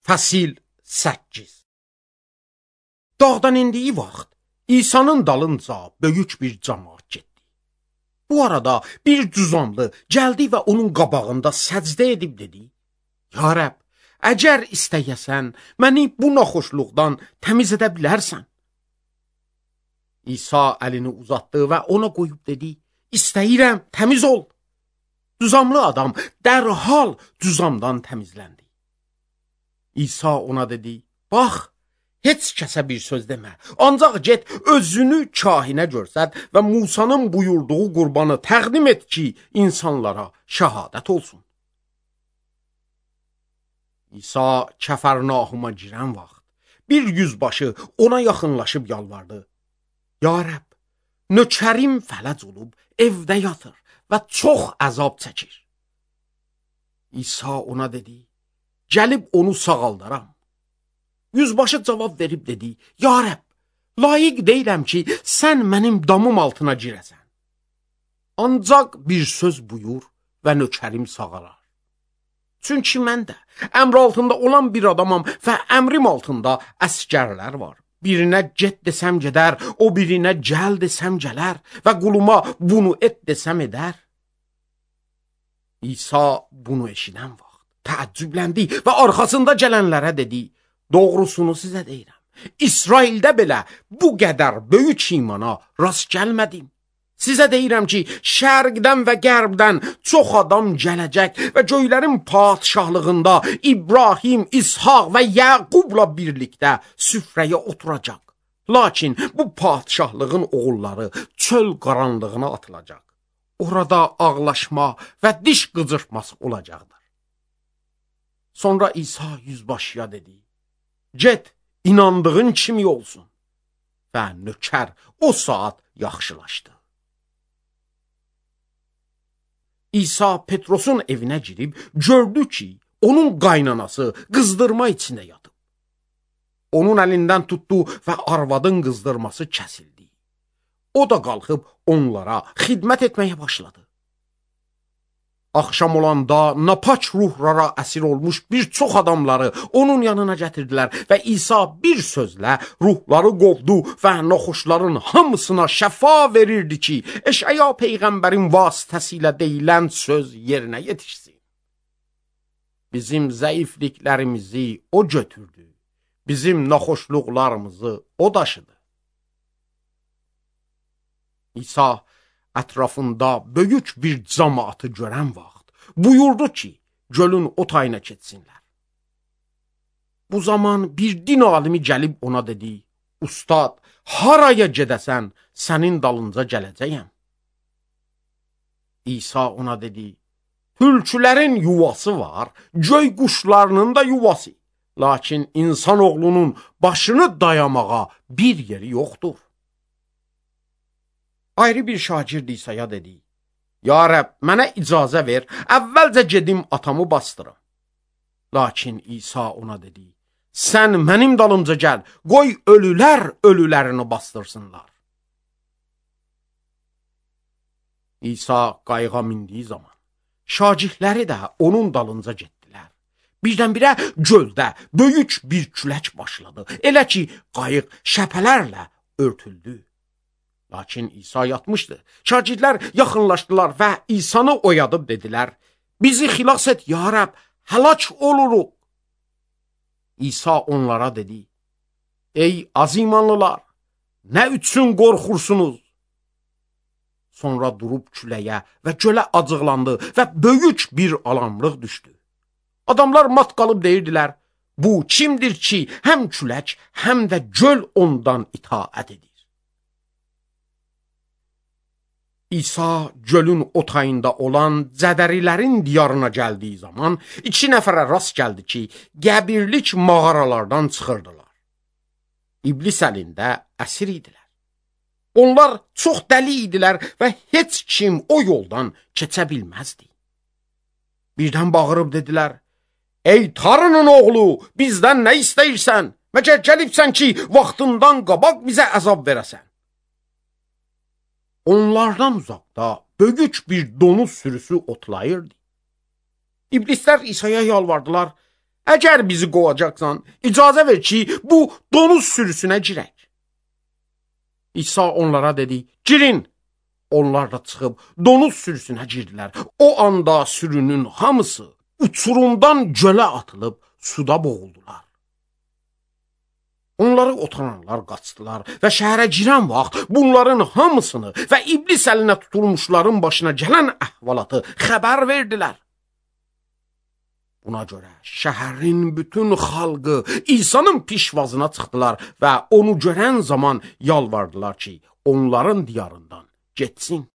Fəsil 8. Dağdan indiyi vaxt İsa'nın dalınca böyük bir cəmaət getdi. Bu arada bir cüzamlı gəldi və onun qabağında səcdə edib dedi: Ya Rəbb, əgər istəyəsən, məni bu naxoşluqdan təmiz edə bilərsən. İsa əlini uzatdı və ona qoyub dedi: İstəyirəm, təmiz ol. Cüzamlı adam dərhal cüzamdan təmizləndi. İsa ona dedi: Bax, heç kəsə bir söz demə, ancaq get özünü kahinə görsət və Musanın buyurduğu qurbanı təqdim et ki, insanlara şəhadət olsun. İsa Kəfərnahuma girən vaxt bir yüzbaşı ona yaxınlaşıb yalvardı: Ya Rəbb, nökərim fələc olub evdə yatır və çox əzab çəkir. İsa ona dedi: Gəlib onu sağaldaram. Yüzbaşı cavab verib dedi: Ya Rəbb, layiq deyiləm ki, sən mənim damım altına girəsən. Ancaq bir söz buyur və nökərim sağalar. Çünki mən də əmr altında olan bir adamam və əmrim altında əsgərlər var. Birinə get desəm gedər, o birinə gəl desəm gələr və quluma bunu et desəm edər. İsa bunu eşidən vaxt təəccübləndi və arxasında gələnlərə dedi: Doğrusunu sizə deyirəm, İsraildə belə bu qədər böyük imana rast gəlmədim. Sizə deyirəm ki, şərqdən və qərbdən çox adam gələcək və göylərin padişahlığında İbrahim, İshaq və Yaqubla birlikdə süfrəyə oturacaq. Lakin bu padişahlığın oğulları çöl qaranlığına atılacaq. Orada ağlaşma və diş qıcırtması olacaqdır. Sonra İsa yüzbaşıya dedi: Get, inandığın kimi olsun. Və nökər o saat yaxşılaşdı. İsa Petrosun evinə girib gördü ki, onun qaynanası qızdırma içində yatıb. Onun əlindən tutdu və arvadın qızdırması kəsildi. O da qalxıb onlara xidmət etməyə başladı. Axşam olanda napaç ruhlara əsir olmuş bir çox adamları onun yanına gətirdilər və İsa bir sözlə ruhları qovdu və naxoşların hamısına şəfa verirdi ki, Eşaya peyğəmbərin vasitəsilə deyilən söz yerinə yetişsin. Bizim zəifliklərimizi o götürdü, bizim naxoşluqlarımızı o daşıdı. İsa ətrafında böyük bir cəmaatı görən vaxt buyurdu ki, gölün o tayına keçsinlər. Bu zaman bir din alimi gəlib ona dedi: Ustad, haraya gedəsən, sənin dalınca gələcəyəm. İsa ona dedi: Tülkülərin yuvası var, göy quşlarının da yuvası. Lakin insanoğlunun başını dayamağa bir yeri yoxdur. Ayrı bir şagird İsa'ya dedi: Ya Rəbb, mənə icazə ver, əvvəlcə gedim atamı bastırım. Lakin İsa ona dedi: Sən mənim dalımca gəl, qoy ölülər ölülərini bastırsınlar. İsa qayığa mindiyi zaman şagirdləri də onun dalınca getdilər. Birdən-birə göldə böyük bir külək başladı. Elə ki, qayıq şəpələrlə örtüldü. Lakin İsa yatmışdı. Şagirdlər yaxınlaşdılar və İsanı oyadıb dedilər: Bizi xilas et, ya Rəbb, həlak oluruq. İsa onlara dedi: Ey azimanlılar, nə üçün qorxursunuz? Sonra durub küləyə və gölə acıqlandı və böyük bir alamlıq düşdü. Adamlar mat qalıb deyirdilər: Bu kimdir ki, həm külək, həm də göl ondan itaət edir? İsa gölün o tayında olan Cədərilərin diyarına gəldiyi zaman 2 nəfərə rast gəldi ki, qəbirlik mağaralardan çıxırdılar. İblis əlində əsir idilər. Onlar çox dəli idilər və heç kim o yoldan keçə bilməzdi. Birdən bağırıb dedilər: Ey Tanrının oğlu, bizdən nə istəyirsən? Məcər gəlibsən ki, vaxtından qabaq bizə əzab verəsən? Onlardan uzaqda böyük bir donuz sürüsü otlayırdı. İblislər İsa'ya yalvardılar: Əgər bizi qovacaqsan, icazə ver ki, bu donuz sürüsünə girək. İsa onlara dedi, girin. Onlar da çıxıb donuz sürüsünə girdilər. O anda sürünün hamısı uçurumdan gölə atılıb suda boğuldular. Onları otaranlar qaçdılar və şəhərə girən vaxt bunların hamısını və iblis əlinə tutulmuşların başına gələn əhvalatı xəbər verdilər. Buna görə şəhərin bütün xalqı İsa'nın pişvazına çıxdılar və onu görən zaman yalvardılar ki, onların diyarından getsin.